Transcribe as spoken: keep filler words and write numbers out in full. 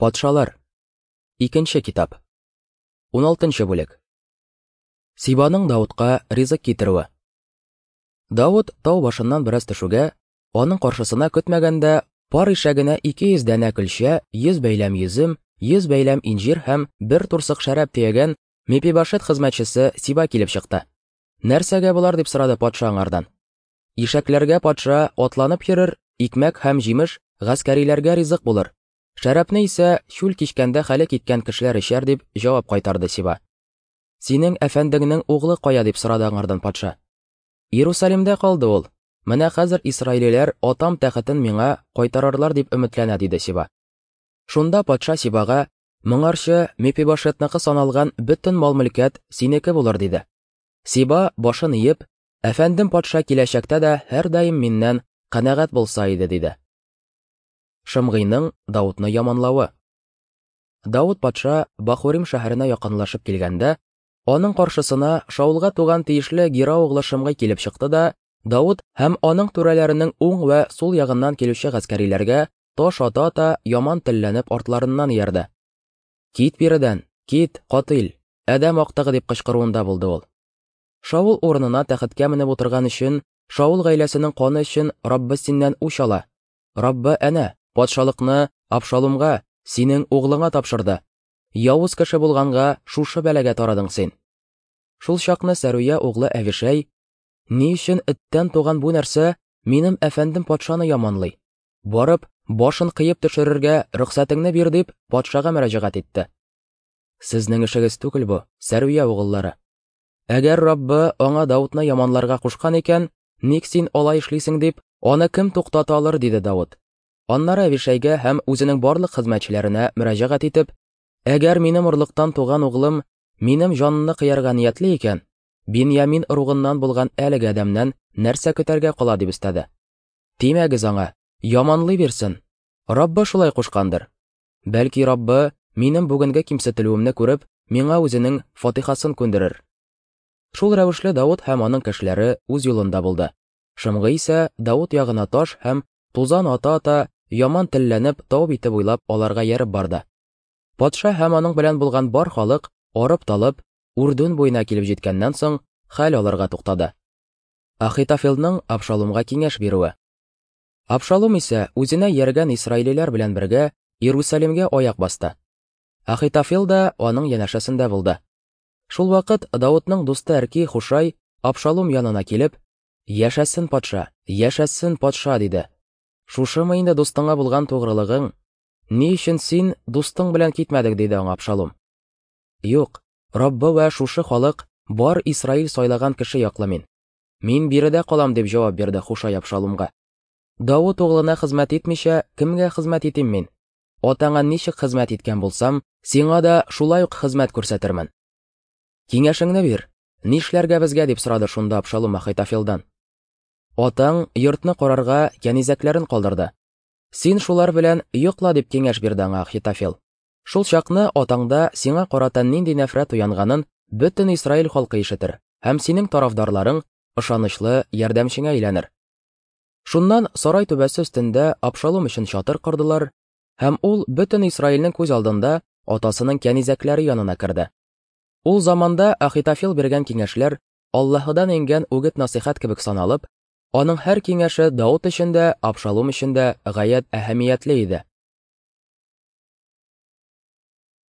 Патшалар. Икенче китап. Уналтынчы бүлек. Сибаның Даутка ризык китерүе. Даут тау башыннан бераз төшүгә, аның каршысына көтмәгәндә пар ишәгенә ике йөз данә көлчә, йөз бәйләм йөзем, йөз бәйләм инҗир һәм бер турсык шәраб төягән Мепибашет хезмәтчесе Сиба килеп чыкты. Нәрсәгә болар дип сорады патша аңардан. Ишәкләргә патша атланып йөрер, икмәк һәм җимеш гаскәриләргә ризык булыр. Шәрабны исә чүл кичкәндә хәле киткән кешеләр эчәр дип җавап кайтарды Сиба. Синең әфәндеңнең углы кая дип сорады аңардан патша. Иерусалимдә калды ул. Менә хәзер исраилиләр атам тәхетен миңа кайтарырлар дип өметләнә диде Сиба. Шунда патша Сибага моңарчы Мепибашетныкы саналган бөтен мал-мөлкәт синеке булыр диде. Сиба башын иеп, әфәндем патша киләчәктә дә һәрдаим миннән канәгать булса иде диде. Шымгыйның Даутны яманлавы. Даут патша Бахурим шәһәренә якынлашып килгәндә, аның каршысына Шаулга туган тиешле Гера углы Шымгый килеп чыкты да, Даут һәм аның түрәләренең уң вә сул ягыннан килүче гаскәриләргә таш ата-ата яман телләнеп артларыннан иярде. Кит биредән, кит, катил, адәм актыгы дип кычкыруында булды ул. Шаул урынына тәхеткә менеп утырган өчен, Шаул гаиләсенең каны өчен Раббы синнән үч ала. Раббы әнә патшалыкны Абшалумга, синең углыңа тапшырды. Явыз кеше булганга шушы бәлагә тарадың син. Шул чакны Сәруя углы Әвишәй, ни өчен эттән туган бу нәрсә минем әфәндем патшаны яманлый? Барып, башын кыеп төшерергә рөхсәтеңне бир дип патшага мөрәҗәгать итте. Сезнең эшегез түгел бу, Сәруя угыллары. Әгәр Раббы аңа Даутны яманларга кушкан икән, ник син алай эшлисең дип, аны кем туктата алыр диде Даут. Аннары Әвишәйгә һәм үзенең барлык хезмәтчеләренә мөрәҗәгать итеп, әгәр минем орлыктан туган углым минем җанымны кыярга ниятле икән, Биньямин ыругыннан булган әлеге адәмнән нәрсә көтәргә кала дип өстәде. Тимәгез аңа, яманлый бирсен. Раббы шулай кушкандыр. Бәлки Раббы минем бүгенге кимсетелүемне күреп, миңа үзенең фатихасын күндерер. Шул рәвешле Даут һәм аның кешеләре үз юлында булды. Шымгый исә Даут ягына таш һәм тузан ата-ата яман телләнеп тау бите буйлап аларга ярып барды. Патша һәм аның белән булган бар халык арып-талып Урдун буена килеп җиткәннән соң хәл алырга туктады. Ахитофелның Абшалумга киңәш бирүе. Абшалум исә үзенә ияргән исраилиләр белән бергә Иерусалимгә аяк басты. Ахитофел да аның янәшәсендә булды. Шул вакыт Даутның дусты Әрки Хушай Абшалум янына килеп, "Яшәсен патша, яшәсен патша" диде. Шушымы инде дустыңа булган тугрылыгың? Ни өчен син дустың белән китмәдең диде аңа Абшалум. Юк, Раббы вә шушы халык бар Исраил сайлаган кеше яклы мин. Мин биредә калам дип җавап бирде Хушай Абшалумга. Даут углына хезмәт итмичә, кемгә хезмәт итим мин? Атаңа ничек хезмәт иткән булсам, сиңа да шулай ук хезмәт күрсәтермен. Киңәшеңне бир, нишләргә безгә дип сорады шунда Абшалум Ахитофелдан. Атаң йортны карарга кәнизәкләрен калдырды. Син шулар белән йокла дип киңәш бирде аңа Ахитофел. Шул чакны атаңда сиңа карата нинди нәфрәт уянганын бөтен Исраил халкы ишетер һәм синең тарафдарларың ышанычлы ярдәмчеңә әйләнер. Шуннан сарай түбәсе өстендә Абшалум өчен чатыр кордылар, һәм ул бөтен Исраилнең күз алдында атасының кәнизәкләре янына керде. Ул заманда Ахитофел биргән киңәшләр Аллаһыдан иңгән үгет-насыйхат кебек саналып, аның һәр киңәше Даут өчен дә, Абшалум өчен дә гаять әһәмиятле иде.